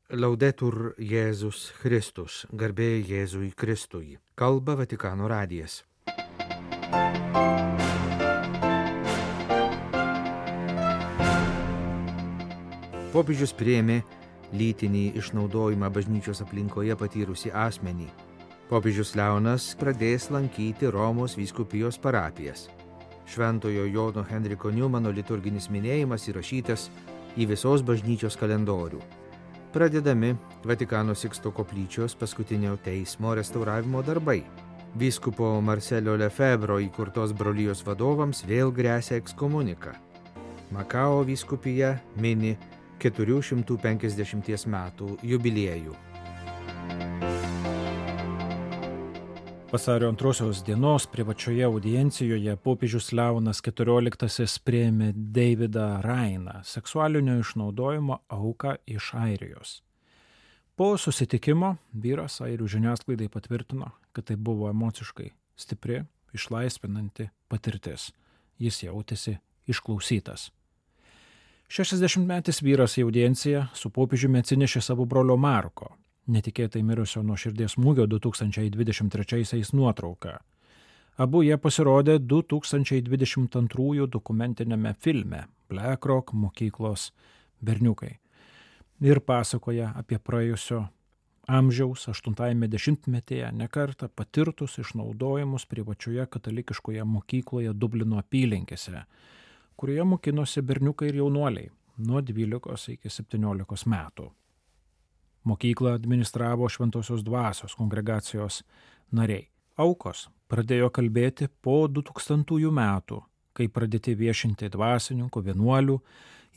Laudetur Jėzus Kristus, garbė Jėzui Kristui. Kalba Vatikano radijas. Popiežius priėmė lytinį išnaudojimą bažnyčios aplinkoje patyrusį asmenį. Popiežius Leonas pradės lankyti Romos vyskupijos parapijas. Šventojo Jono Henriko Niumano liturginis minėjimas įrašytas į visos bažnyčios kalendorių. Pradedami Vatikano Siksto koplyčios paskutinio teismo restauravimo darbai. Vyskupo Marcelio Lefebvro įkurtos brolijos vadovams vėl gresia ekskomunika. Makao vyskupija mini 450 metų jubiliejų. Vasario 2 dienos privačioje audiencijoje popiežius Leonas XIV priėmė Davidą Rainą, seksualinio išnaudojimo auką iš Airijos. Po susitikimo vyras airių žiniasklaidai patvirtino, kad tai buvo emociškai stipri, išlaisvinanti patirtis. Jis jautėsi išklausytas. 60-metis vyras į audienciją su popiežiumi atsinešė savo brolio Marko, netikėtai mirusio nuo širdies smūgio 2023 nuotrauką. Abu jie pasirodė 2022 dokumentinėme filme BlackRock mokyklos berniukai ir pasakoja apie praėjusio amžiaus 80-metyje nekartą patirtus išnaudojimus privačioje katalikiškoje mokykloje Dublino apylinkėse, kurioje mokinosi berniukai ir jaunuoliai nuo 12 iki 17 metų. Mokyklą administravo Šventosios dvasios kongregacijos nariai. Aukos pradėjo kalbėti po 2000 metų, kai pradėti viešinti dvasininkų, vienuolių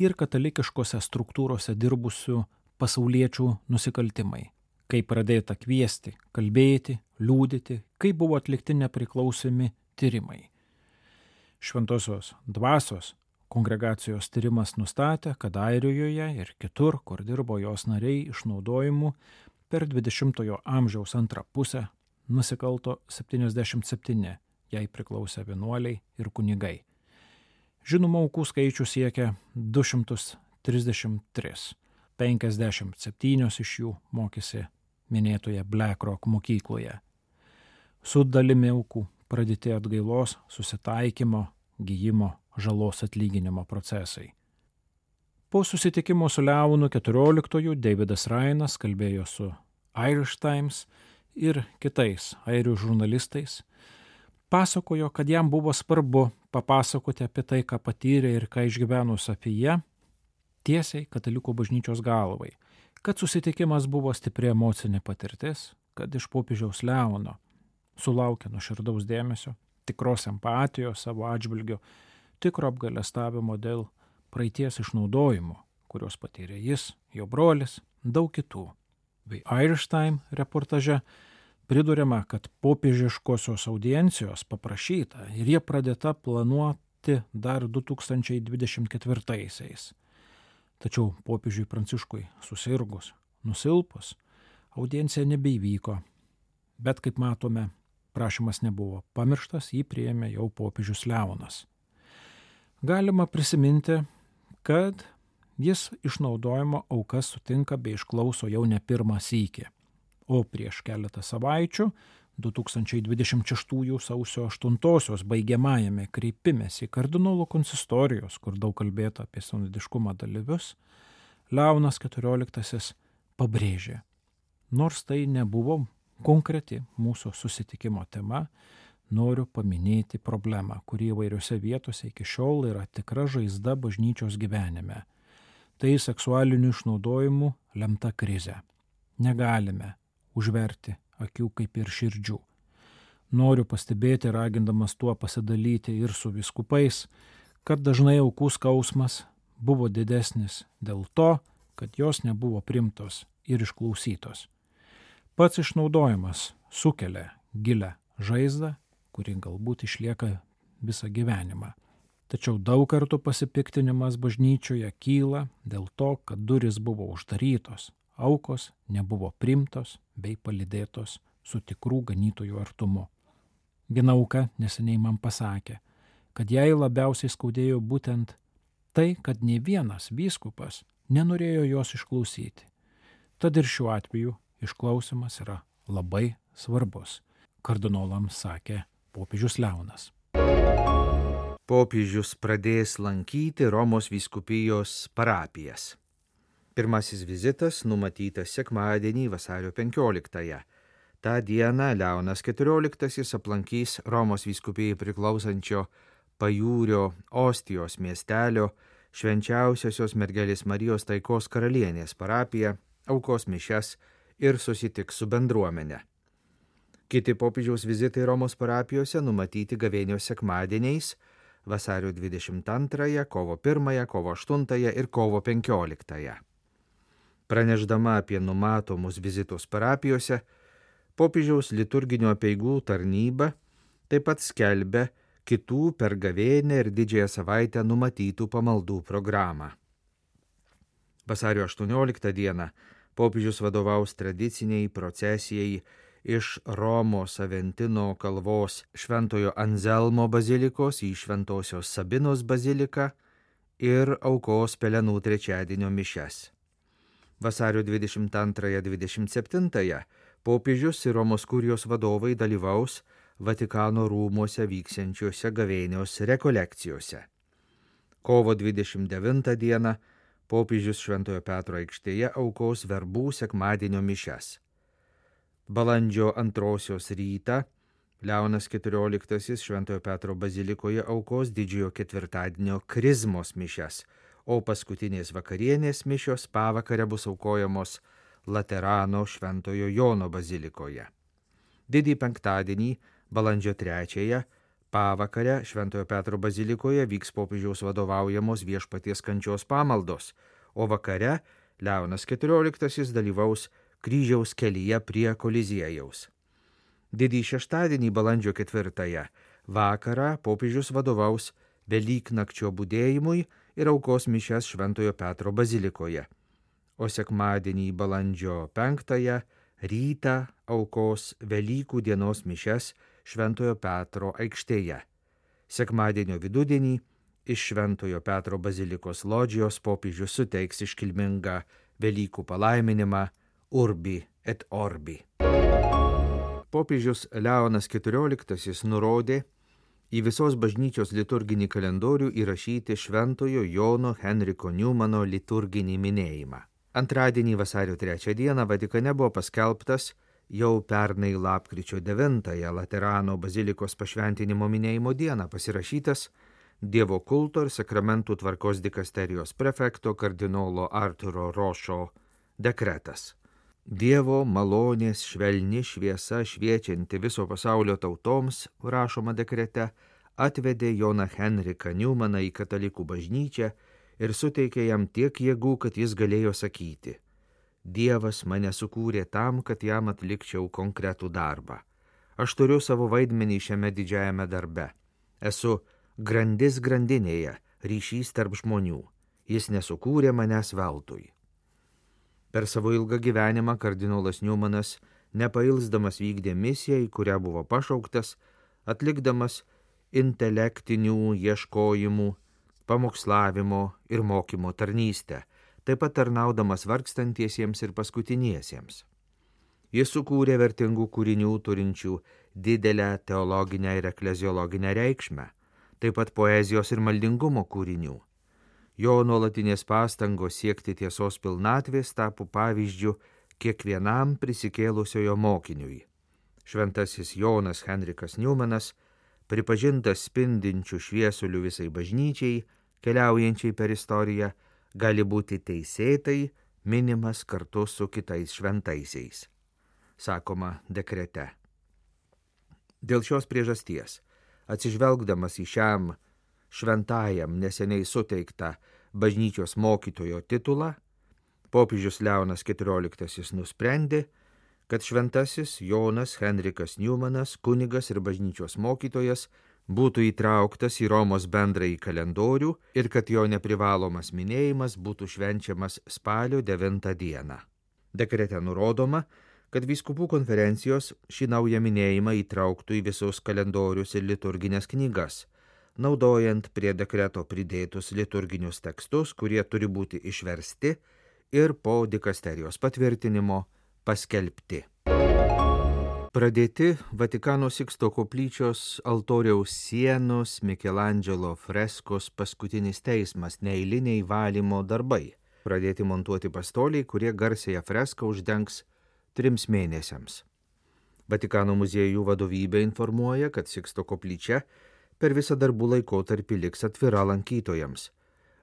ir katalikiškose struktūrose dirbusių pasauliečių nusikaltimai. Kai pradėta kviesti, kalbėti, liudyti, kai buvo atlikti nepriklausomi tyrimai. Šventosios dvasios kongregacijos tyrimas nustatė, kad Airijoje ir kitur, kur dirbo jos nariai išnaudojimu, per 20-ojo amžiaus antrą pusę nusikalto 77, jai priklausė vienuoliai ir kunigai. Žinoma, aukų skaičius siekia 233, 57 iš jų mokėsi minėtoje BlackRock mokykloje. Su dalimi aukų pradėti atgailos, susitaikymo, gijimo, žalos atlyginimo procesai. Po susitikimo su Leonu XIV Davidas Rainas kalbėjo su Irish Times ir kitais airių žurnalistais, pasakojo, kad jam buvo svarbu papasakoti apie tai, ką patyrė ir ką išgyveno Sofija, tiesiai katalikų bažnyčios galvai, kad susitikimas buvo stipri emocinė patirtis, kad iš popiežiaus Leono sulaukė nuoširdaus dėmesio, tikros empatijos savo atžvilgiu, tikro apgailestavimo dėl praeities išnaudojimo, kurios patyrė jis, jo brolis, daug kitų. Bei Irish Times reportaže priduriama, kad popiežiškosios audiencijos paprašyta ir jie pradėta planuoti dar 2024-aisiais. Tačiau popiežiui Pranciškui susirgus, nusilpus, audiencija nebeįvyko. Bet kaip matome, prašymas nebuvo pamirštas, jį priėmė jau popiežius Leonas. Galima prisiminti, kad jis išnaudojimo aukas sutinka bei išklauso jau ne pirmą sykį. O prieš keletą savaičių, 2026 sausio 8 baigiamajame kreipimesi kardinolų konsistorijos, kur daug kalbėta apie sinodiškumo dalyvius, Leonas XIV pabrėžė, nors tai nebuvo konkreti mūsų susitikimo tema, noriu paminėti problemą, kuri įvairiose vietose iki šiol yra tikra žaizda bažnyčios gyvenime. Tai seksualinių išnaudojimų lemta krizė. Negalime užverti akių kaip ir širdžių. Noriu pastebėti, ragindamas tuo pasidalyti ir su vyskupais, kad dažnai aukų skausmas buvo didesnis dėl to, kad jos nebuvo primtos ir išklausytos. Pats išnaudojimas sukelia gilią žaizdą, kuri galbūt išlieka visą gyvenimą. Tačiau daug kartų pasipiktinimas bažnyčioje kyla dėl to, kad durys buvo uždarytos, aukos nebuvo primtos bei palydėtos su tikrų ganytojų artumu. Viena auka neseniai man pasakė, kad jai labiausiai skaudėjo būtent tai, kad nei vienas vyskupas nenorėjo jos išklausyti. Tad ir šiuo atveju išklausimas yra labai svarbus, kardinolams sakė popiežius Leonas. Popiežius pradės lankyti Romos vyskupijos parapijas. Pirmasis vizitas numatytas sekmadienį vasario 15-ąją. Ta diena Leonas XIV aplankys Romos vyskupijai priklausančio Pajūrio Ostijos miestelio Švenčiausiosios mergelės Marijos Taikos karalienės parapiją, aukos mišias ir susitiks su bendruomene. Kiti popiežiaus vizitai Romos parapijose numatyti gavėnios sekmadieniais vasario 22, kovo 1, kovo 8 ir kovo 15. Praneždama apie numatomus vizitus parapijose, popiežiaus liturginio apeigų tarnyba taip pat skelbia kitų per gavėnią ir didžiąją savaitę numatytų pamaldų programą. Vasario 18 dieną popiežius vadovaus tradiciniai procesijai iš Romos Aventino kalvos Šventojo Anzelmo bazilikos į Šventosios Sabinos baziliką ir aukos pelenų trečiadienio mišias. Vasario 22-27 popiežius ir Romos kurijos vadovai dalyvaus Vatikano rūmuose vyksiančiuose gavėnios rekolekcijose. Kovo 29 dieną popiežius Šventojo Petro aikštėje aukos verbų sekmadienio mišias. Balandžio 2 rytą Leonas XIV Šventojo Petro bazilikoje aukos didžiojo ketvirtadienio krizmos mišias, o paskutinės vakarienės mišios pavakare bus aukojamos Laterano Šventojo Jono bazilikoje. Didįjį penktadienį, balandžio 3, pavakare Šventojo Petro bazilikoje vyks popiežiaus vadovaujamos Viešpaties kančios pamaldos, o vakare Leonas XIV dalyvaus kryžiaus kelyje prie Koliziejaus. Didįjį šeštadienį, balandžio 4, vakarą popiežius vadovaus Velyknakčio budėjimui ir aukos mišias Šventojo Petro bazilikoje, o sekmadienį, balandžio 5, rytą aukos Velykų dienos mišias Šventojo Petro aikštėje. Sekmadienio vidudienį iš Šventojo Petro bazilikos lodžijos popiežius suteiks iškilmingą Velykų palaiminimą Urbi et Orbi. Popiežius Leonas XIV nurodė į visos bažnyčios liturginį kalendorių įrašyti Šventojo Jono Henriko Niumano liturginį minėjimą. Antradienį vasario 3 dieną Vatikane buvo paskelbtas jau pernai lapkričio 9 Laterano bazilikos pašventinimo minėjimo dieną pasirašytas Dievo kulto ir sakramentų tvarkos dikasterijos prefekto kardinolo Arturo Rošo dekretas. Dievo malonės švelni šviesa šviečianti viso pasaulio tautoms, rašoma dekrete, atvedė Joną Henriką Niumaną į katalikų bažnyčią ir suteikė jam tiek jėgų, kad jis galėjo sakyti: Dievas mane sukūrė tam, kad jam atlikčiau konkretų darbą. Aš turiu savo vaidmenį šiame didžiajame darbe. Esu grandis grandinėje, ryšys tarp žmonių. Jis nesukūrė manęs veltui. Per savo ilgą gyvenimą kardinolas Niumanas nepailsdamas vykdė misiją, į kurią buvo pašauktas, atlikdamas intelektinių ieškojimų, pamokslavimo ir mokymo tarnystę, taip pat tarnaudamas vargstantiesiems ir paskutiniesiems. Jis sukūrė vertingų kūrinių turinčių didelę teologinę ir ekleziologinę reikšmę, taip pat poezijos ir maldingumo kūrinių. Jo nuolatinės pastangos siekti tiesos pilnatvės tapo pavyzdžiu kiekvienam prisikėlusiojo mokiniui. Šventasis Jonas Henrikas Niumanas, pripažintas spindinčių šviesulių visai bažnyčiai, keliaujančiai per istoriją, gali būti teisėtai minimas kartu su kitais šventaisiais, sakoma dekrete. Dėl šios priežasties, atsižvelgdamas į šiam šventajam neseniai suteiktą bažnyčios mokytojo titulą, popiežius Leonas XIV nusprendė, kad šventasis Jonas Henrikas Niumanas, kunigas ir bažnyčios mokytojas, būtų įtrauktas į Romos bendrąjį kalendorių ir kad jo neprivalomas minėjimas būtų švenčiamas spalio 9 dieną. Dekrete nurodoma, kad vyskupų konferencijos šį naują minėjimą įtrauktų į visus kalendorius ir liturginės knygas, naudojant prie dekreto pridėtus liturginius tekstus, kurie turi būti išversti ir po dikasterijos patvirtinimo paskelbti. Pradėti Vatikano Siksto koplyčios altoriaus sienos Mikelandželo freskos Paskutinis teismas neeiliniai valymo darbai. Pradėti montuoti pastoliai, kurie garsiąją freską uždengs 3 mėnesiams. Vatikano muziejų vadovybė informuoja, kad Siksto koplyčia per visą darbų laikotarpį liks atvira lankytojams.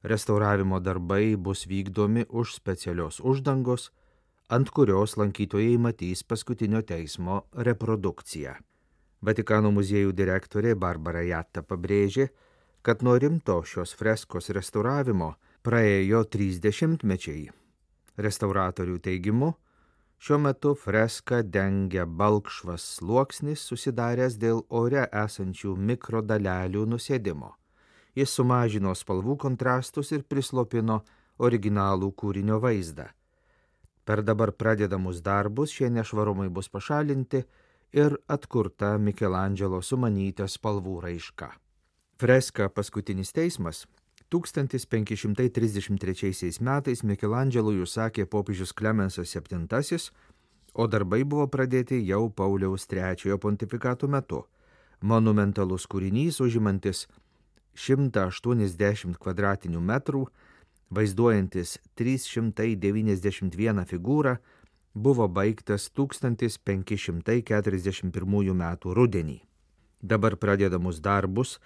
Restauravimo darbai bus vykdomi už specialios uždangos, ant kurios lankytojai matys Paskutinio teismo reprodukciją. Vatikano muziejų direktorė Barbara Jatta pabrėžė, kad nuo rimto šios freskos restauravimo praėjo 30 mečiai. Restauratorių teigimu, šiuo metu freską dengia balkšvas sluoksnis susidaręs dėl ore esančių mikrodalelių nusėdimo. Jis sumažino spalvų kontrastus ir prislopino originalų kūrinio vaizdą. Per dabar pradedamus darbus šie nešvarumai bus pašalinti ir atkurta Mikelandželo sumanyta spalvų raiška. Freska Paskutinis teismas 1533 metais Mikelandželui užsakė popiežius Klemensas VII, o darbai buvo pradėti jau Pauliaus III pontifikato metu. Monumentalus kūrinys užimantis 180 kvadratinių metrų, vaizduojantis 391 figūrą, buvo baigtas 1541 metų rudenį. Dabar pradedamus darbus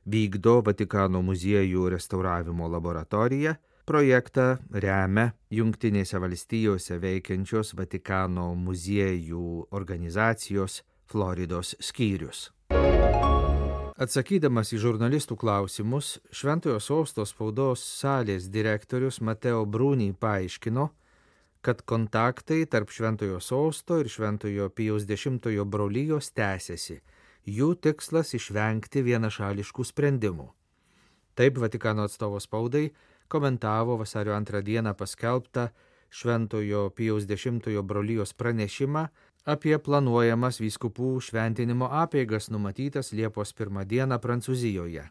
vykdo Vatikano muziejų restauravimo laboratorija, projektą remia Jungtinėse valstijose veikiančios Vatikano muziejų organizacijos Floridos skyrius. Atsakydamas į žurnalistų klausimus, Šventojo Sosto spaudos salės direktorius Mateo Bruni paaiškino, kad kontaktai tarp Šventojo Sosto ir Šventojo Pijaus X brolijos tęsiasi. Jų tikslas išvengti vienašališkų sprendimų. Taip Vatikano atstovo spaudai komentavo vasario 2 dieną paskelbtą Šventojo Pijaus X brolijos pranešimą apie planuojamas vyskupų šventinimo apeigas numatytas Liepos 1 dieną Prancūzijoje.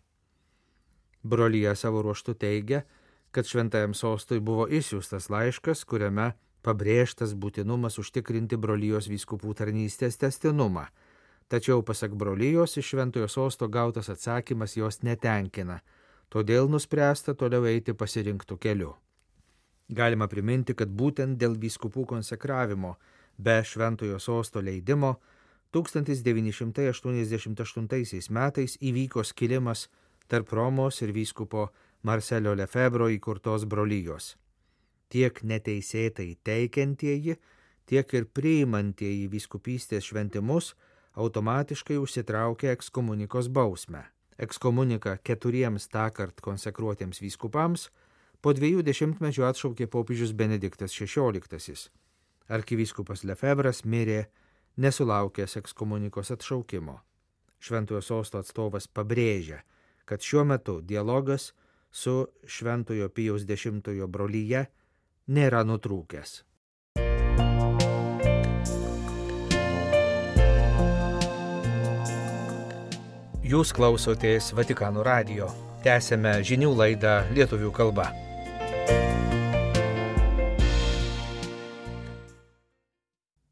Brolija savo ruožtu teigia, kad Šventajam Sostui buvo išsiųstas laiškas, kuriame pabrėžtas būtinumas užtikrinti brolijos vyskupų tarnystės tęstinumą. Tačiau pasak brolijos iš Šventojo Sosto gautas atsakymas jos netenkina, todėl nuspręsta toliau eiti pasirinktų keliu. Galima priminti, kad būtent dėl vyskupų konsekravimo be Šventojo Sosto leidimo 1988 metais įvyko skilimas tarp Romos ir vyskupo Marcelio Lefebvro įkurtos brolijos. Tiek neteisėtai teikiantieji, tiek ir priimantieji vyskupystės šventimus automatiškai užsitraukia ekskomunikos bausmę. Ekskomuniką 4 tąkart konsekruotiems vyskupams po 2 dešimtmečių atšaukė popiežius Benediktas XVI. Arkivyskupas Lefebvras mirė nesulaukęs ekskomunikos atšaukimo. Šventojo Sosto atstovas pabrėžia, kad šiuo metu dialogas su Šventojo Pijaus X brolyje nėra nutrūkęs. Jūs klausotės Vatikano radijo. Tęsiame žinių laidą lietuvių kalba.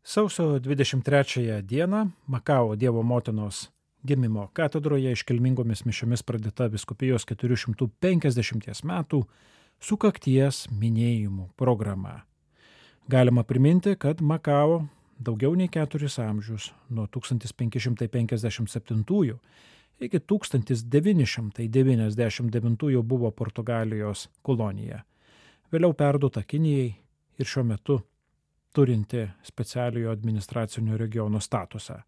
Sausio 23 dieną Makao Dievo motinos gimimo katedroje iškilmingomis mišiomis pradėta vyskupijos 450 metų sukakties minėjimų programa. Galima priminti, kad Makao daugiau nei 4 amžius, nuo 1557 iki 1999 buvo Portugalijos kolonija, vėliau perduota Kinijai ir šiuo metu turinti specialiojo administracinio regiono statusą.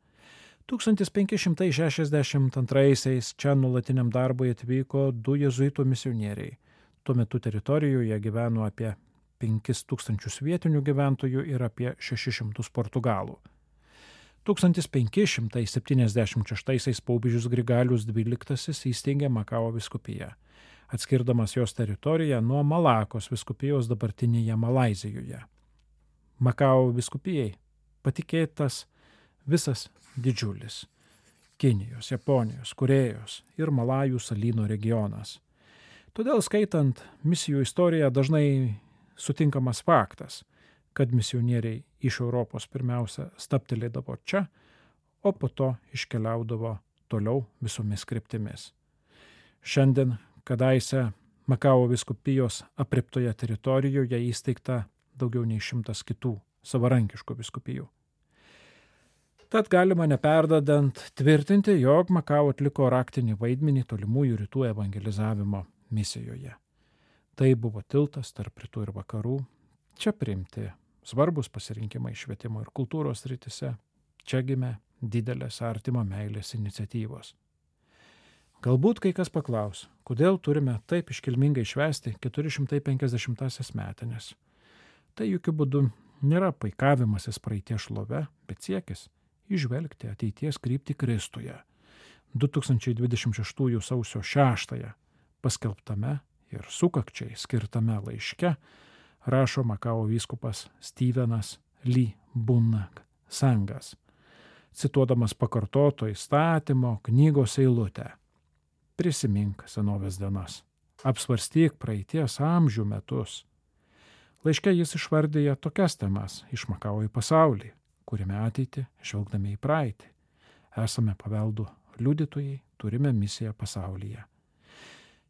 1562 čia nuolatiniam darbui atvyko 2 jėzuitų misionieriai. Tuo metu teritorijoje gyveno apie 5000 vietinių gyventojų ir apie 600 portugalų. 1576 popiežius Grigalius XII įsteigė Makao vyskupiją, atskirdamas jos teritoriją nuo Malakos vyskupijos dabartinėje Malaizijoje. Makao vyskupijai patikėtas visas didžiulis Kinijos, Japonijos, Korėjos ir Malajų salyno regionas. Todėl skaitant misijų istoriją dažnai sutinkamas faktas, kad misionieriai iš Europos pirmiausia stabtelėdavo čia, o po to iškeliaudavo toliau visomis kryptimis. Šiandien, kadaise Makao vyskupijos aprėptoje teritorijoje įsteigta daugiau nei 100 kitų savarankiškų vyskupijų. Tad galima neperdedant tvirtinti, jog Makao atliko raktinį vaidmenį tolimųjų rytų evangelizavimo misijoje. Tai buvo tiltas tarp rytų ir vakarų, čia priimti svarbus pasirinkimai švietimo ir kultūros srityse, čia gimė didelės artimo meilės iniciatyvos. Galbūt kai kas paklaus, kodėl turime taip iškilmingai švęsti 450-asias metinės. Tai jokių būdų nėra paikavimasis praeities šlove, bet siekis įžvelgti ateities kryptį Kristuje. 2026 sausio 6 paskelbtame ir sukakčiai skirtame laiške rašo Makao vyskupas Stevenas Lee Bunag Sangas, cituodamas pakartoto įstatymo knygos eilutę. Prisimink senovės dienas, apsvarstyk praeities amžių metus. Laiške jis išvardyja tokias temas iš Makao į pasaulį, kuriame ateitį žvelgdami į praeitį. Esame paveldų liudytojai, turime misiją pasaulyje.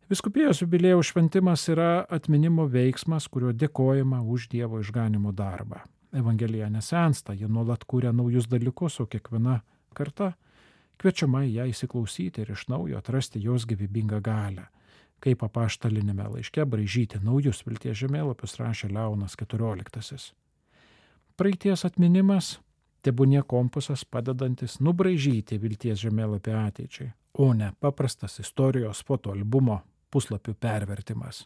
Vyskupijos jubiliejaus šventimas yra atminimo veiksmas, kuriuo dėkojama už Dievo išganimo darbą. Evangelija nesensta, ji nuolat kūrė naujus dalykus, o kiekviena karta kviečiama į ją įsiklausyti ir iš naujo atrasti jos gyvybingą galią. Kaip apaštalinėme laiške braižyti naujus vilties žemėlapius rašė Leonas XIV. Praeities atminimas tebūnie kompasas padedantis nubraižyti vilties žemėlapį ateičiai, o ne paprastas istorijos fotoalbumo puslapių pervertimas.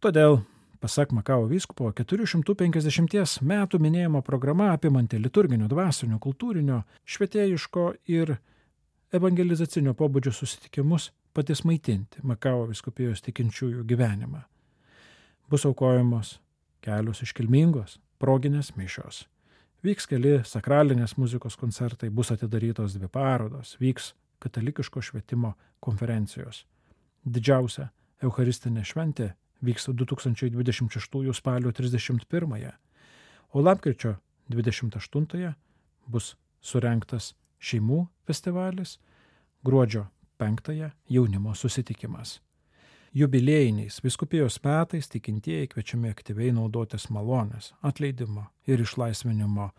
Todėl, pasak Makao vyskupo, 450 metų minėjimo programa apimanti liturginio, dvasinio, kultūrinio, švietėjiško ir evangelizacinio pobūdžio susitikimus patys maitinti Makao vyskupijos tikinčiųjų gyvenimą. Bus aukojamos kelios iškilmingos proginės mišios. Vyks keli sakralinės muzikos koncertai, bus atidarytos 2 parodos, vyks katalikiško švietimo konferencijos. Didžiausia eucharistinė šventė vyks 2026 spalio 31, o lapkričio 28 bus surengtas šeimų festivalis, gruodžio 5 jaunimo susitikimas. Jubiliejiniais vyskupijos metais tikintieji kviečiami aktyviai naudotis malonės, atleidimo ir išlaisvinimo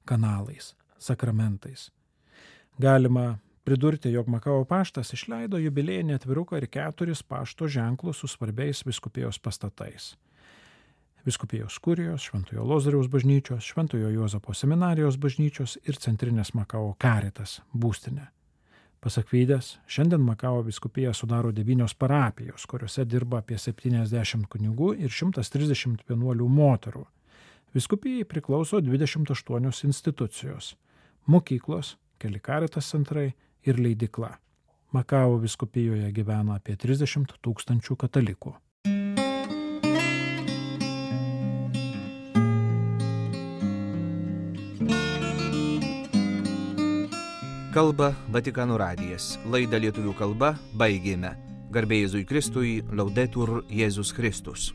kanalais, sakramentais. Galima pridurti, jog Makao paštas išleido jubiliejinį atviruką ir 4 pašto ženklus su svarbiais vyskupijos pastatais. Vyskupijos kurijos, Šventojo Lozoriaus bažnyčios, Šventojo Juozapo seminarijos bažnyčios ir centrinės Makao Caritas būstinė. Pasak Vydės, šiandien Makao vyskupija sudaro 9 parapijos, kuriuose dirba apie 70 kunigų ir 130 vienuolių moterų. Vyskupijai priklauso 28 institucijos – mokyklos, keli Caritas centrai ir leidykla. Makao vyskupijoje gyvena apie 30 000 katalikų. Kalba Vatikano radijas. Laidą lietuvių kalba baigėme. Garbė Jėzui Kristui, Laudetur Jėzus Kristus.